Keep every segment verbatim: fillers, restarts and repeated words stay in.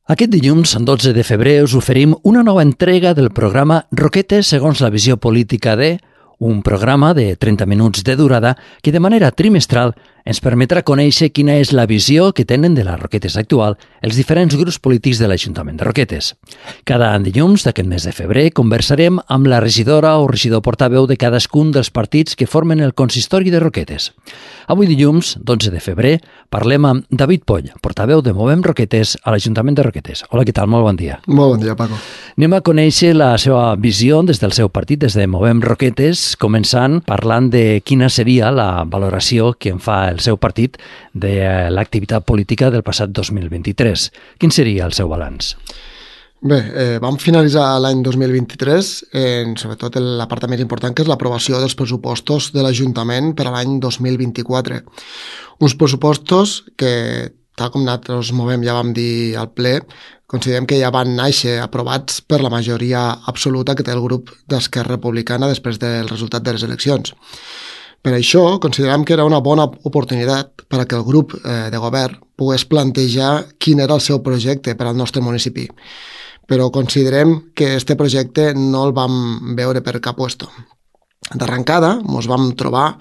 Aquest dilluns, dotze de febrer, us oferim una nova entrega del programa Roquetes segons la visió política de... un programa de trenta minuts de durada que de manera trimestral ens permetrà conèixer quina és la visió que tenen de les Roquetes actual els diferents grups polítics de l'Ajuntament de Roquetes. Cada dilluns d'aquest mes de febrer conversarem amb la regidora o regidor portaveu de cadascun dels partits que formen el consistori de Roquetes. Avui dilluns, dotze de febrer, parlem amb David Poll, portaveu de Movem Roquetes a l'Ajuntament de Roquetes. Hola, què tal? Molt bon dia. Molt bon dia, Paco. Anem a conèixer la seva visió des del seu partit, des de Movem Roquetes, començant parlant de quina seria la valoració que en fa el seu partit de l'activitat política del passat dos mil vint-i-tres. Quin seria el seu balanç? Bé, eh, vam finalitzar l'any dos mil vint-i-tres, en, sobretot la part més important, que és l'aprovació dels pressupostos de l'Ajuntament per a l'any dos mil vint-i-quatre. Uns pressupostos que, tal com nosaltres movem, ja vam dir al ple, considerem que ja van néixer aprovats per la majoria absoluta que té el grup d'Esquerra Republicana després del resultat de les eleccions. Per això, considerem que era una bona oportunitat per a que el grup eh, de govern pogués plantejar quin era el seu projecte per al nostre municipi. Però considerem que este projecte no el vam veure per cap puesto. D'arrencada, ens vam trobar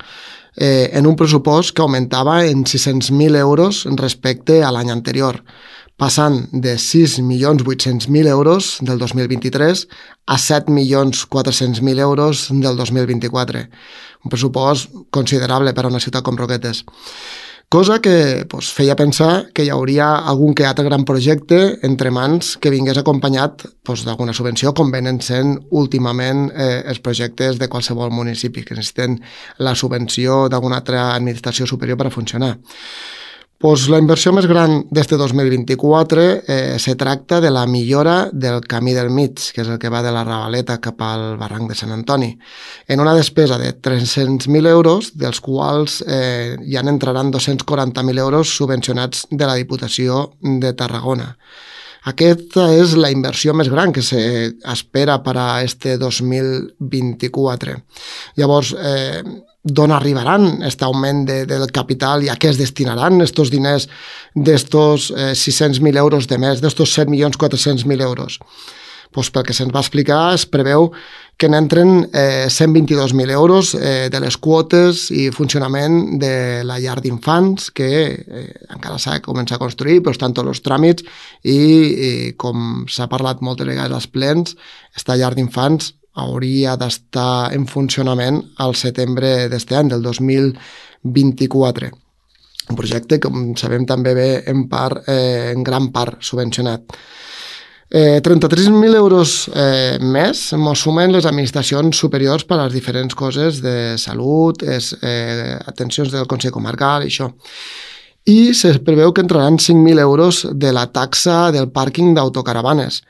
eh, en un pressupost que augmentava en sis-cents mil euros respecte a l'any anterior, passant de sis milions vuit-cents mil euros del dos mil vint-i-tres a set milions quatre-cents mil euros del dos mil vint-i-quatre. Un pressupost considerable per a una ciutat com Roquetes. Cosa que pues, feia pensar que hi hauria algun que altre gran projecte entre mans que vingués acompanyat pues, d'alguna subvenció, com venen sent últimament eh, els projectes de qualsevol municipi, que necessiten la subvenció d'alguna altra administració superior per a funcionar. Pues la inversió més gran d'este dos mil vint-i-quatre eh, se tracta de la millora del camí del mig, que és el que va de la Ravaleta cap al barranc de Sant Antoni, en una despesa de tres-cents mil euros, dels quals eh, ja n'entraran dos-cents quaranta mil euros subvencionats de la Diputació de Tarragona. Aquesta és la inversió més gran que s'espera per a este dos mil vint-i-quatre. Llavors, eh, d'on arribaran aquest augment de, del capital i a què es destinaran aquests diners d'estos eh, sis-cents mil euros de més, d'estos set milions quatre-cents mil euros? Pues pel que se'ns va explicar, es preveu que n'entren eh, cent vint-i-dos mil euros eh, de les quotes i funcionament de la llar d'infants, que eh, encara s'ha de començar a construir, però estan tots els tràmits i, i com s'ha parlat moltes vegades als plens, aquesta llar d'infants hauria d'estar en funcionament al setembre d'este any, del dos mil vint-i-quatre. Un projecte que, com sabem, també ve en, part, eh, en gran part subvencionat. Eh, trenta-tres mil euros eh, més mos sumen les administracions superiors per a les diferents coses de salut, es, eh, atencions del Consell Comarcal i això. I se preveu que entraran cinc mil euros de la taxa del pàrquing d'autocaravanes,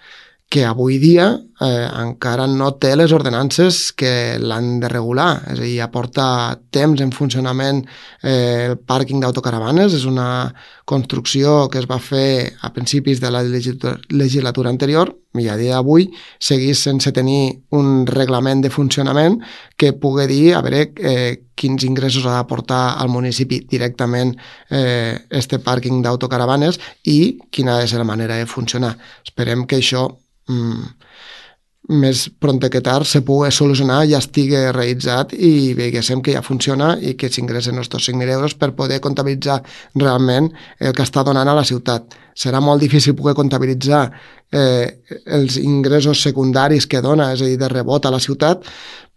que avui dia eh, encara no té les ordenances que l'han de regular. És a dir, ja porta temps en funcionament eh, el pàrquing d'autocaravanes. És una construcció que es va fer a principis de la legislatura, legislatura anterior i a dia d'avui segueix sense tenir un reglament de funcionament que pugui dir a veure eh, quins ingressos ha d'aportar al municipi directament eh, este pàrquing d'autocaravanes i quina ha de ser la manera de funcionar. Esperem que això Mm, més pront que tard se pugui solucionar, ja estigui realitzat i veguéssim que ja funciona i que s'ingressen aquests cinc mil euros per poder comptabilitzar realment el que està donant a la ciutat. Serà molt difícil poder comptabilitzar eh, els ingressos secundaris que dona, és a dir, de rebot a la ciutat,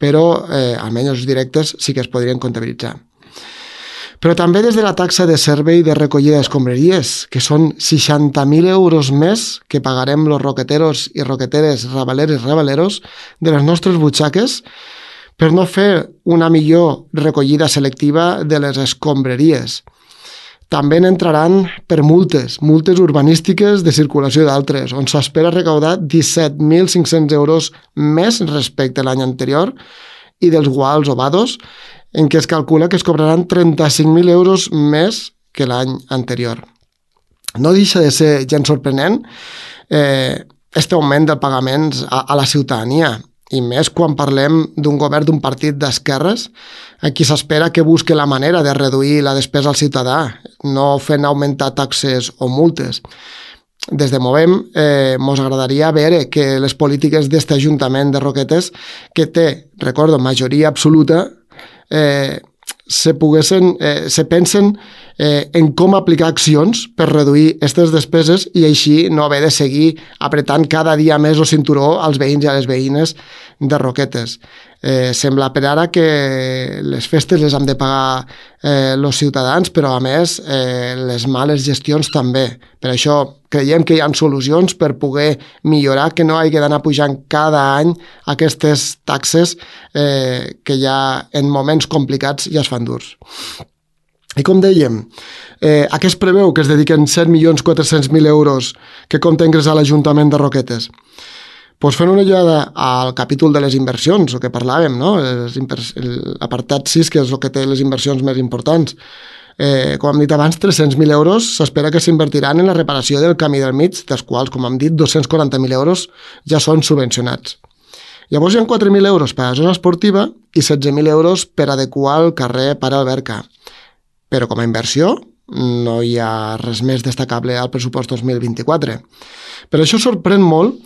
però eh, almenys els directes sí que es podrien comptabilitzar. Però també des de la taxa de servei de recollida d'escombraries, que són seixanta mil euros més que pagarem los roqueteros i roqueteres, rabaleres i rabaleros de les nostres butxaques per no fer una millor recollida selectiva de les escombraries. També n'entraran per multes, multes urbanístiques de circulació d'altres, on s'espera recaudar disset mil cinc-cents euros més respecte a l'any anterior i dels quals ovados, en què es calcula que es cobraran trenta-cinc mil euros més que l'any anterior. No deixa de ser gens sorprenent eh, este augment del pagaments a, a la ciutadania, i més quan parlem d'un govern d'un partit d'esquerres, a qui s'espera que busque la manera de reduir la despesa al ciutadà, no fent augmentar taxes o multes. des de Movem eh, mos agradaria veure que les polítiques d'este Ajuntament de Roquetes, que té, recordo, majoria absoluta, eh, se poguessin, eh, se pensen eh, en com aplicar accions per reduir aquestes despeses i així no haver de seguir apretant cada dia més el cinturó als veïns i a les veïnes de Roquetes. Eh, sembla per ara que les festes les han de pagar eh, els ciutadans, però a més eh, les males gestions també. Per això creiem que hi ha solucions per poder millorar, que no hagi d'anar pujant cada any aquestes taxes eh, que ja en moments complicats ja es fan durs. I com dèiem, eh, a què es preveu que es dediquen set milions quatre-cents mil euros que compta ingressar l'Ajuntament de Roquetes? Pues fent una ullada al capítol de les inversions, el que parlàvem, no? L'apartat sis, que és el que té les inversions més importants. Eh, com hem dit abans, tres-cents mil euros s'espera que s'invertiran en la reparació del camí del mig, dels quals, com hem dit, dos-cents quaranta mil euros ja són subvencionats. Llavors hi ha quatre mil euros per a la zona esportiva i setze mil euros per adequar el carrer Pare Alberca. Però com a inversió no hi ha res més destacable al pressupost dos mil vint-i-quatre. Per això sorprèn molt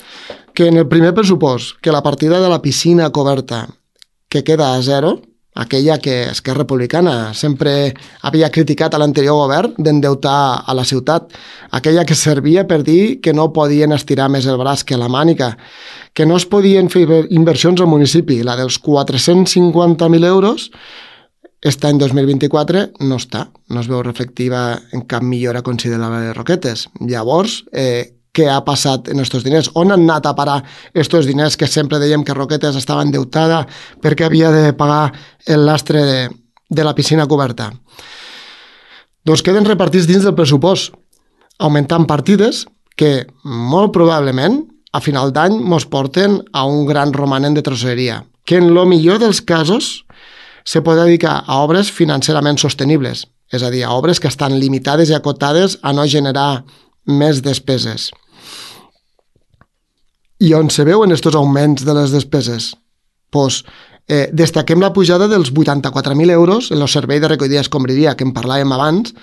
que en el primer pressupost, que la partida de la piscina coberta que queda a zero, aquella que Esquerra Republicana sempre havia criticat a l'anterior govern d'endeutar a la ciutat, aquella que servia per dir que no podien estirar més el braç que la mànica, que no es podien fer inversions al municipi, la dels quatre-cents cinquanta mil euros, aquest any dos mil vint-i-quatre no està, no es veu reflectiva en cap millora considerable de Roquetes. Llavors, eh, què ha passat en aquests diners? On han anat a parar aquests diners que sempre dèiem que Roquetes estava endeutada perquè havia de pagar el lastre de, de la piscina coberta? Doncs queden repartits dins del pressupost, augmentant partides que molt probablement a final d'any mos porten a un gran romanent de tresoreria, que en el millor dels casos se pot dedicar a obres financerament sostenibles, és a dir, a obres que estan limitades i acotades a no generar més despeses. I on se veuen aquests augments de les despeses? Pues, eh, destaquem la pujada dels vuitanta-quatre mil euros en el servei de recollida escombraria que en parlàvem abans,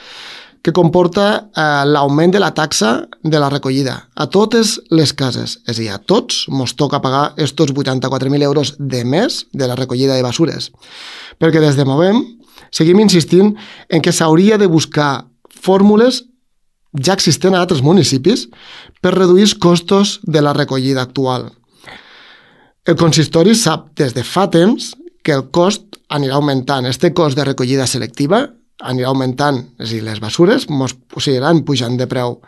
que comporta eh, l'augment de la taxa de la recollida a totes les cases. És a dir, a tots ens toca pagar aquests vuitanta-quatre mil euros de més de la recollida de basures. Perquè des de Movem seguim insistint en que s'hauria de buscar fórmules ja existents a altres municipis per reduir els costos de la recollida actual. El consistori sap des de fa temps que el cost anirà augmentant. Este cost de recollida selectiva anirà augmentant, és a dir, les basures mos seguiran pujant de preu.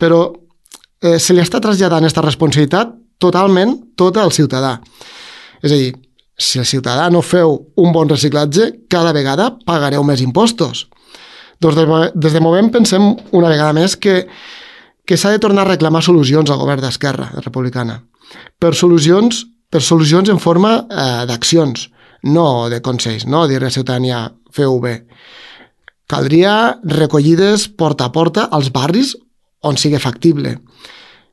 Però eh, se li està traslladant aquesta responsabilitat totalment tota al ciutadà. És a dir, si el ciutadà no feu un bon reciclatge, cada vegada pagareu més impostos. Doncs des de Movem pensem una vegada més que, que s'ha de tornar a reclamar solucions al govern d'Esquerra Republicana. Per solucions, per solucions en forma eh, d'accions, no de consells, no dir a la ciutadania feu bé. Caldria recollides porta a porta als barris on sigui factible.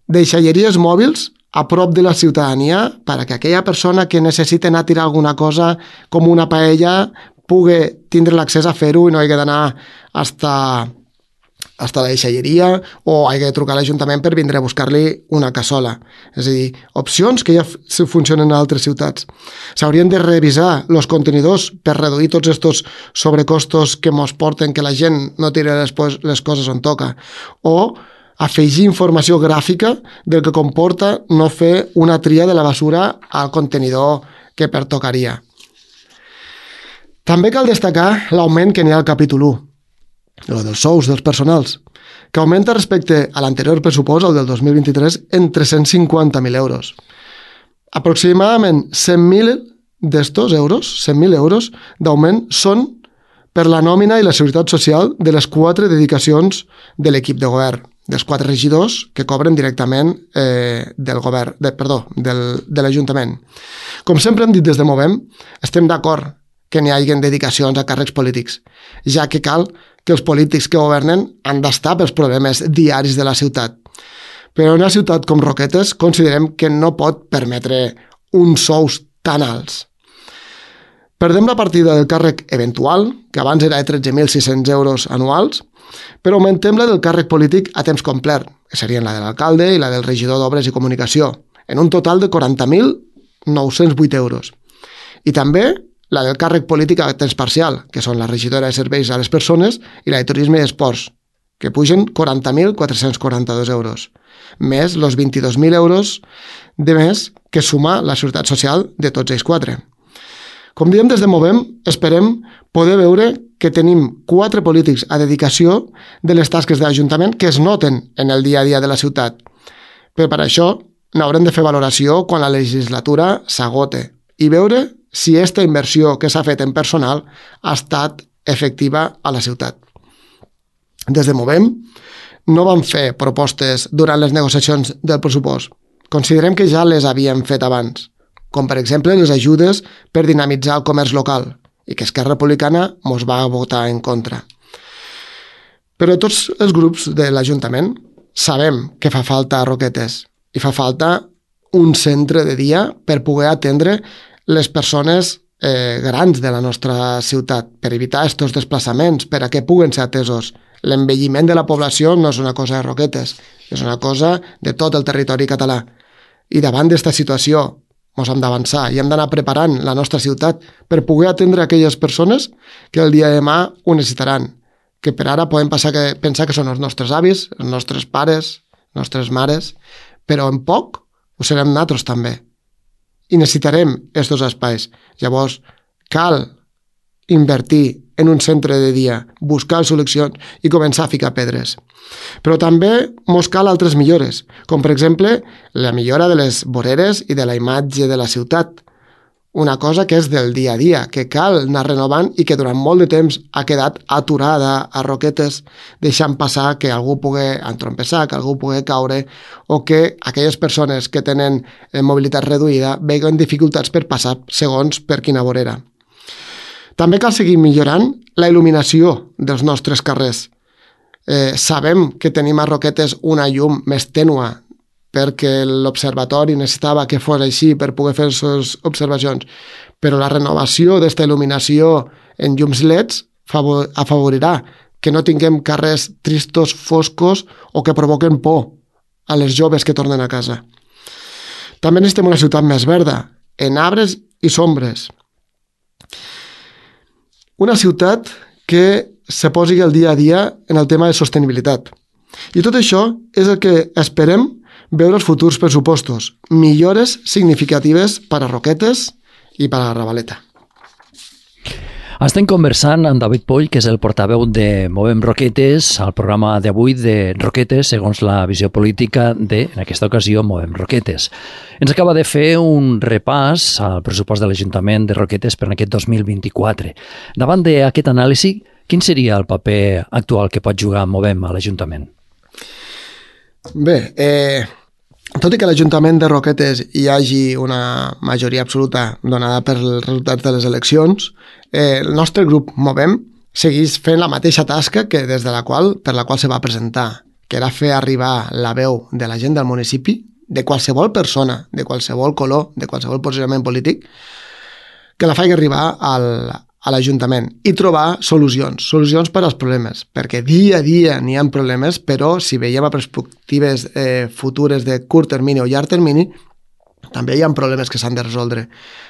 Deixalleries mòbils a prop de la ciutadania perquè aquella persona que necessita anar a tirar alguna cosa com una paella pugui tindre l'accés a fer-ho i no hagi d'anar hasta, hasta la deixalleria o hagi de trucar a l'Ajuntament per vindre a buscar-li una cassola. És a dir, opcions que ja funcionen a altres ciutats. S'haurien de revisar els contenidors per reduir tots aquests sobrecostos que mos porten que la gent no tiri les, les coses on toca. O afegir informació gràfica del que comporta no fer una tria de la basura al contenidor que pertocaria. També cal destacar l'augment que n'hi ha al capítol u, el dels sous dels personals, que augmenta respecte a l'anterior pressupost, el del dos mil vint-i-tres, en tres-cents cinquanta mil euros. Aproximadament cent mil d'estos euros, cent mil euros d'augment, són per la nòmina i la seguretat social de les quatre dedicacions de l'equip de govern, dels quatre regidors que cobren directament eh, del govern, de, perdó, del, de l'Ajuntament. Com sempre hem dit des de Movem, estem d'acord que n'hi hagi dedicacions a càrrecs polítics, ja que cal que els polítics que governen han d'estar pels problemes diaris de la ciutat. Però en una ciutat com Roquetes considerem que no pot permetre uns sous tan alts. Perdem la partida del càrrec eventual, que abans era de tretze mil sis-cents euros anuals, però augmentem la del càrrec polític a temps complet, que serien la de l'alcalde i la del regidor d'Obres i Comunicació, en un total de quaranta mil nou-cents vuit euros. I també la del càrrec polític a temps parcial, que són la regidora de Serveis a les Persones i la de Turisme i Esports, que pugen quaranta mil quatre-cents quaranta-dos euros, més els vint-i-dos mil euros de més que suma la Seguretat Social de tots ells quatre. Com diem, des de Movem esperem poder veure que tenim quatre polítics a dedicació de les tasques de l'Ajuntament que es noten en el dia a dia de la ciutat. Però per això n'haurem de fer valoració quan la legislatura s'agote i veure si aquesta inversió que s'ha fet en personal ha estat efectiva a la ciutat. Des de Movem no vam fer propostes durant les negociacions del pressupost. Considerem que ja les havíem fet abans, com per exemple les ajudes per dinamitzar el comerç local, i que Esquerra Republicana mos va votar en contra. Però tots els grups de l'Ajuntament sabem que fa falta Roquetes i fa falta un centre de dia per poder atendre les persones eh, grans de la nostra ciutat, per evitar aquests desplaçaments, per a que puguen ser atesos. L'envelliment de la població no és una cosa de Roquetes, és una cosa de tot el territori català. I davant d'aquesta situació ens hem d'avançar i hem d'anar preparant la nostra ciutat per poder atendre aquelles persones que el dia de demà ho necessitaran, que per ara podem passar que, pensar que són els nostres avis, els nostres pares, les nostres mares, però en poc ho serem nosaltres també. I necessitarem aquests espais. Llavors, cal invertir en un centre de dia, buscar solucions i començar a ficar pedres. Però també mos cal altres millores, com per exemple la millora de les voreres i de la imatge de la ciutat. Una cosa que és del dia a dia, que cal anar renovant i que durant molt de temps ha quedat aturada a Roquetes, deixant passar que algú pugui entrompessar, que algú pugui caure o que aquelles persones que tenen mobilitat reduïda veguen dificultats per passar segons per quina vorera. També cal seguir millorant la il·luminació dels nostres carrers. Eh, sabem que tenim a Roquetes una llum més tènua perquè l'observatori necessitava que fos així per poder fer les observacions, però la renovació d'aquesta il·luminació en llums L E Ds afavorirà que no tinguem carrers tristos, foscos o que provoquen por a les joves que tornen a casa. També necessitem una ciutat més verda, en arbres i sombres. Una ciutat que se posi el dia a dia en el tema de sostenibilitat. I tot això és el que esperem veure els futurs pressupostos, millores significatives per a Roquetes i per a la Ravaleta. Estem conversant amb David Poll, que és el portaveu de Movem Roquetes, al programa d'avui de Roquetes, segons la visió política de, en aquesta ocasió, Movem Roquetes. Ens acaba de fer un repàs al pressupost de l'Ajuntament de Roquetes per aquest dos mil vint-i-quatre. Davant d'aquest anàlisi, quin seria el paper actual que pot jugar Movem a l'Ajuntament? Bé, eh, tot i que a l'Ajuntament de Roquetes hi hagi una majoria absoluta donada per els resultats de les eleccions, eh, el nostre grup Movem segueix fent la mateixa tasca que des de la qual, per la qual se va presentar, que era fer arribar la veu de la gent del municipi, de qualsevol persona, de qualsevol color, de qualsevol posicionament polític, que la faci arribar al, a l'Ajuntament i trobar solucions, solucions per als problemes, perquè dia a dia n'hi ha problemes, però si veiem a perspectives eh, futures de curt termini o llarg termini, també hi ha problemes que s'han de resoldre.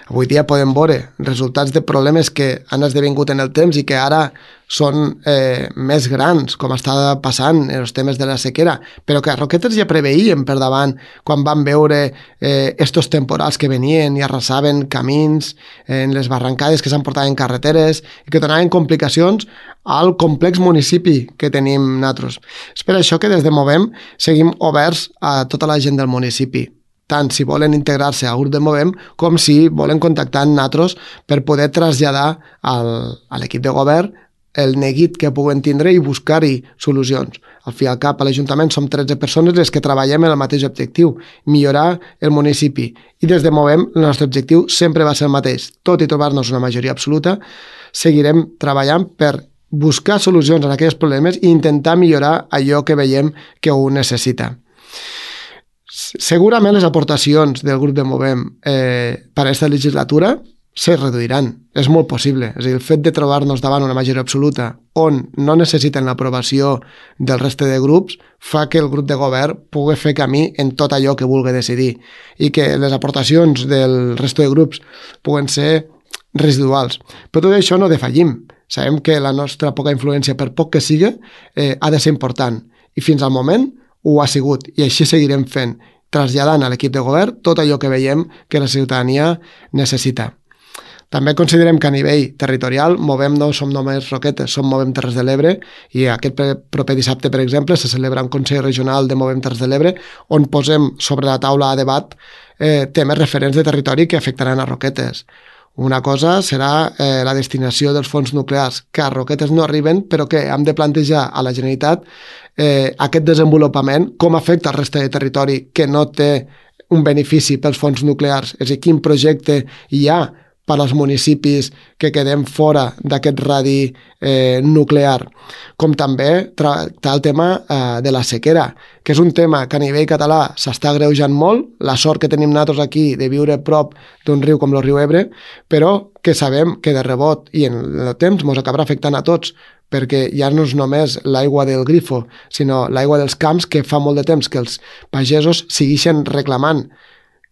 Avui dia podem veure resultats de problemes que han esdevingut en el temps i que ara són eh, més grans, com està passant en els temes de la sequera, però que a Roquetes ja preveïen per davant quan van veure eh, estos temporals que venien i arrasaven camins en les barrancades que s'han portat en carreteres i que donaven complicacions al complex municipi que tenim nosaltres. És per això que des de Movem seguim oberts a tota la gent del municipi, tant si volen integrar-se al grup de Movem com si volen contactar amb nosaltres per poder traslladar al, a l'equip de govern el neguit que puguen tindre i buscar-hi solucions. Al fi i al cap, a l'Ajuntament som tretze persones les que treballem en el mateix objectiu, millorar el municipi. I des de Movem el nostre objectiu sempre va ser el mateix. Tot i trobar-nos una majoria absoluta, seguirem treballant per buscar solucions a aquells problemes i intentar millorar allò que veiem que ho necessita. Segurament les aportacions del grup de Movem eh, per a aquesta legislatura se reduiran. És molt possible. És a dir, el fet de trobar-nos davant una majoria absoluta on no necessiten l'aprovació del reste de grups fa que el grup de govern pugui fer camí en tot allò que vulgui decidir i que les aportacions del reste de grups puguen ser residuals. Però tot això no defallim. Sabem que la nostra poca influència, per poc que sigui, eh, ha de ser important. I fins al moment ho ha sigut. I així seguirem fent, traslladant a l'equip de govern tot allò que veiem que la ciutadania necessita. També considerem que a nivell territorial movem no som només Roquetes, som Movem Terres de l'Ebre i aquest proper dissabte, per exemple, se celebra un Consell Regional de Movem Terres de l'Ebre on posem sobre la taula a debat eh, temes referents de territori que afectaran a Roquetes. Una cosa serà eh, la destinació dels fons nuclears, que a Roquetes no arriben, però que hem de plantejar a la Generalitat eh, aquest desenvolupament, com afecta al reste de territori que no té un benefici pels fons nuclears, és a dir, quin projecte hi ha per als municipis que quedem fora d'aquest radi eh, nuclear, com també tractar el tema eh, de la sequera, que és un tema que a nivell català s'està agreujant molt, la sort que tenim nosaltres aquí de viure prop d'un riu com el riu Ebre, però que sabem que de rebot i en el temps ens acabarà afectant a tots, perquè ja no és només l'aigua del grifo, sinó l'aigua dels camps que fa molt de temps que els pagesos segueixen reclamant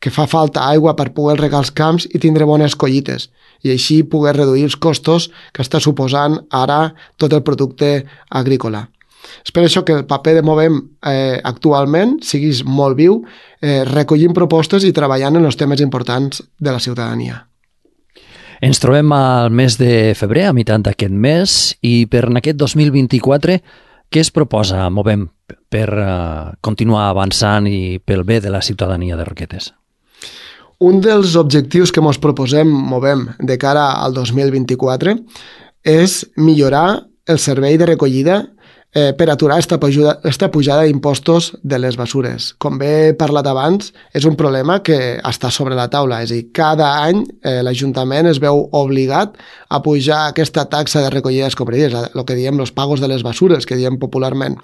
que fa falta aigua per poder regar els camps i tindre bones collites, i així poder reduir els costos que està suposant ara tot el producte agrícola. És per això que el paper de Movem eh, actualment siguis molt viu, eh, recollint propostes i treballant en els temes importants de la ciutadania. Ens trobem al mes de febrer, a meitat d'aquest mes, i per aquest dos mil vint-i-quatre, què es proposa Movem per uh, continuar avançant i pel bé de la ciutadania de Roquetes? Un dels objectius que ens proposem Movem de cara al dos mil vint-i-quatre és millorar el servei de recollida eh, per aturar esta pujada, esta pujada d'impostos de les basures. Com bé he parlat abans, és un problema que està sobre la taula. És a dir, cada any eh, l'Ajuntament es veu obligat a pujar aquesta taxa de recollida d'escombraries, el que diem els pagos de les basures, que diem popularment.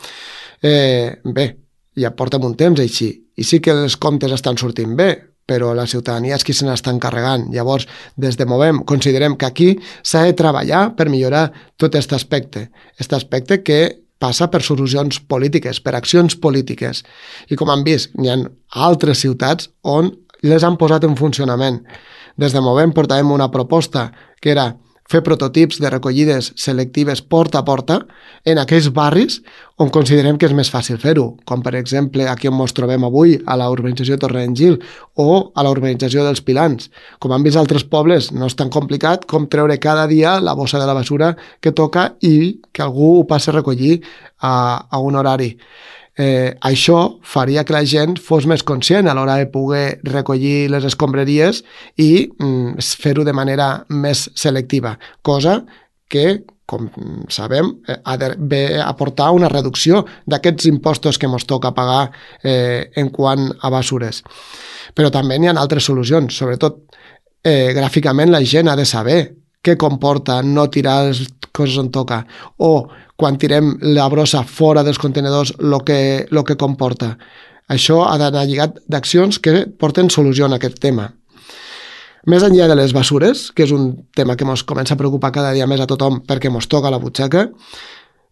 Eh, bé, ja portem un temps així, i sí que els comptes estan sortint bé, però la ciutadania és qui se n'està encarregant. Llavors, des de Movem, considerem que aquí s'ha de treballar per millorar tot aquest aspecte. Aquest aspecte que passa per solucions polítiques, per accions polítiques. I com han vist, n'hi ha altres ciutats on les han posat en funcionament. Des de Movem portàvem una proposta que era fer prototips de recollides selectives porta a porta en aquells barris on considerem que és més fàcil fer-ho, com per exemple aquí on ens trobem avui, a la urbanització Torrent-Gil o a la urbanització dels Pilans. Com han vist altres pobles, no és tan complicat com treure cada dia la bossa de la basura que toca i que algú ho passi a recollir a, a un horari. Eh, això faria que la gent fos més conscient a l'hora de poder recollir les escombraries i mm, fer-ho de manera més selectiva, cosa que, com sabem, eh, ha de aportar una reducció d'aquests impostos que ens toca pagar eh, en quant a basures. Però també n'hi ha altres solucions, sobretot eh, gràficament la gent ha de saber què comporta no tirar les coses on toca, o quan tirem la brossa fora dels contenedors el que, lo que comporta. Això ha d'anar lligat d'accions que porten solució a aquest tema. Més enllà de les basures, que és un tema que ens comença a preocupar cada dia més a tothom perquè ens toca la butxaca,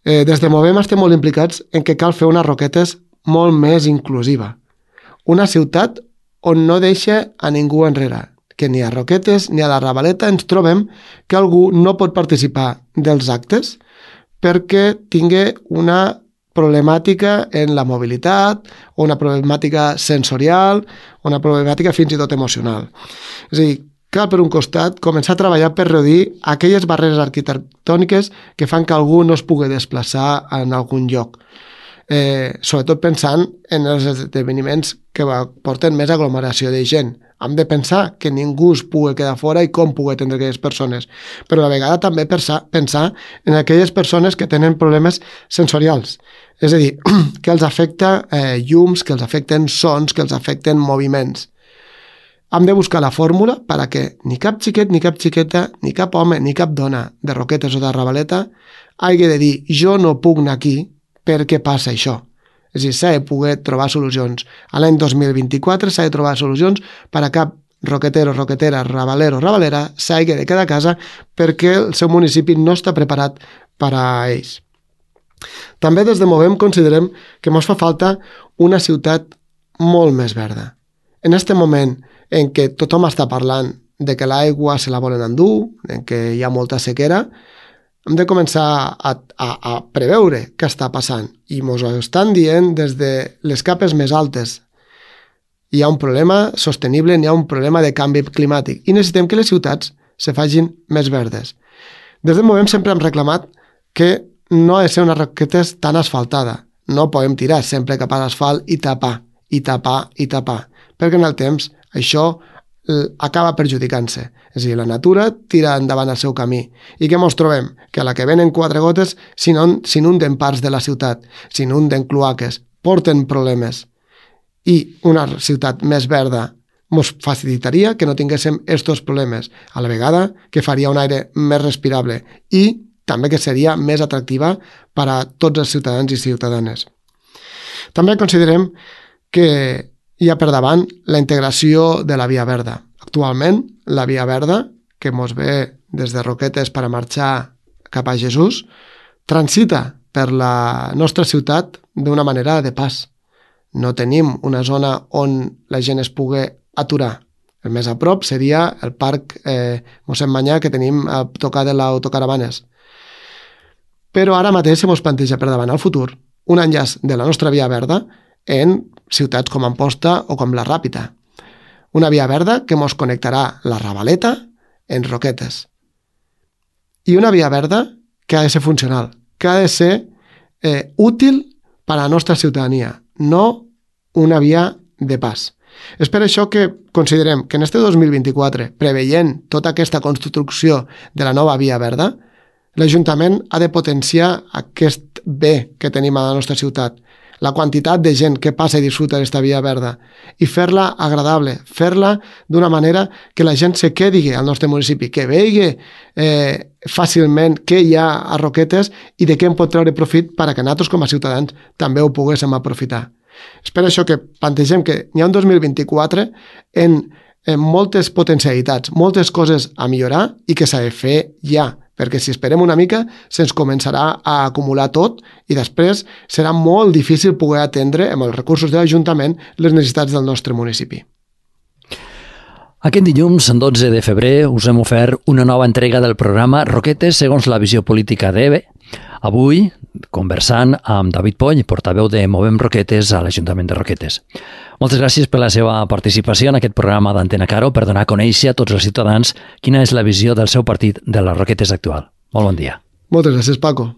eh, des de Movem estem molt implicats en que cal fer una Roquetes molt més inclusiva. Una ciutat on no deixa a ningú enrere, que ni a Roquetes ni a la Ravaleta ens trobem que algú no pot participar dels actes perquè tingui una problemàtica en la mobilitat, o una problemàtica sensorial, o una problemàtica fins i tot emocional. És a dir, cal per un costat començar a treballar per reduir aquelles barreres arquitectòniques que fan que algú no es pugui desplaçar en algun lloc. Eh, sobretot pensant en els esdeveniments que porten més aglomeració de gent. Hem de pensar que ningú es pugui quedar fora i com pugui atendre aquelles persones, però a la vegada també pensar, pensar en aquelles persones que tenen problemes sensorials, és a dir, que els afecta eh, llums, que els afecten sons, que els afecten moviments. Hem de buscar la fórmula per a que ni cap xiquet, ni cap xiqueta, ni cap home, ni cap dona de Roquetes o de Ravaleta hagi de dir jo no puc anar aquí perquè passa això. És a dir, s'ha de poder trobar solucions. A l'any dos mil vint-i-quatre s'ha de trobar solucions per a cap roquetero, roquetera, rabalero, rabalera s'hagi de quedar a casa perquè el seu municipi no està preparat per a ells. També des de Movem considerem que ens fa falta una ciutat molt més verda. En aquest moment en què tothom està parlant de que l'aigua se la volen endur, en què hi ha molta sequera, hem de començar a, a, a preveure què està passant. I ens ho estan dient des de les capes més altes. Hi ha un problema sostenible, hi ha un problema de canvi climàtic i necessitem que les ciutats se facin més verdes. Des de Movem sempre hem reclamat que no ha de ser una Roquetes tan asfaltada. No podem tirar sempre cap a l'asfalt i tapar, i tapar, i tapar, perquè en el temps això acaba perjudicant-se. És a dir, la natura tira endavant el seu camí. I què ens trobem? Que a la que venen quatre gotes s'inunden parts de la ciutat, s'inunden cloaques, porten problemes. I una ciutat més verda ens facilitaria que no tinguéssim aquests problemes, a la vegada que faria un aire més respirable i també que seria més atractiva per a tots els ciutadans i ciutadanes. També considerem que hi ha per davant la integració de la Via Verda. Actualment, la Via Verda, que ens ve des de Roquetes per a marxar cap a Jesús, transita per la nostra ciutat d'una manera de pas. No tenim una zona on la gent es pugui aturar. El més a prop seria el parc eh, Mossèn Manyà que tenim a tocar de l'autocaravanes. Però ara mateix se ens planteja per davant al futur un enllaç de la nostra Via Verda en ciutats com Amposta o com la Ràpita. Una Via Verda que ens connectarà la Ravaleta en Roquetes. I una Via Verda que ha de ser funcional, que ha de ser eh, útil per a la nostra ciutadania, no una via de pas. És per això que considerem que en este dos mil vint-i-quatre, preveient tota aquesta construcció de la nova Via Verda, l'Ajuntament ha de potenciar aquest bé que tenim a la nostra ciutat, la quantitat de gent que passa i disfruta d'aquesta Via Verda, i fer-la agradable, fer-la d'una manera que la gent se quedi al nostre municipi, que vegi eh, fàcilment què hi ha a Roquetes i de què en pot treure profit per a que nosaltres com a ciutadans també ho poguéssim aprofitar. És per això que plantegem que hi ha un dos mil vint-i-quatre en, en moltes potencialitats, moltes coses a millorar i que s'ha de fer ja, perquè si esperem una mica se'ns començarà a acumular tot i després serà molt difícil poder atendre amb els recursos de l'Ajuntament les necessitats del nostre municipi. Aquest dilluns, dotze de febrer, us hem ofert una nova entrega del programa Roquetes segons la visió política d'E B E. Avui, conversant amb David Poll, portaveu de Movem Roquetes a l'Ajuntament de Roquetes. Moltes gràcies per la seva participació en aquest programa d'Antena Caro per donar a conèixer a tots els ciutadans quina és la visió del seu partit de les Roquetes actual. Molt bon dia. Moltes gràcies, Paco.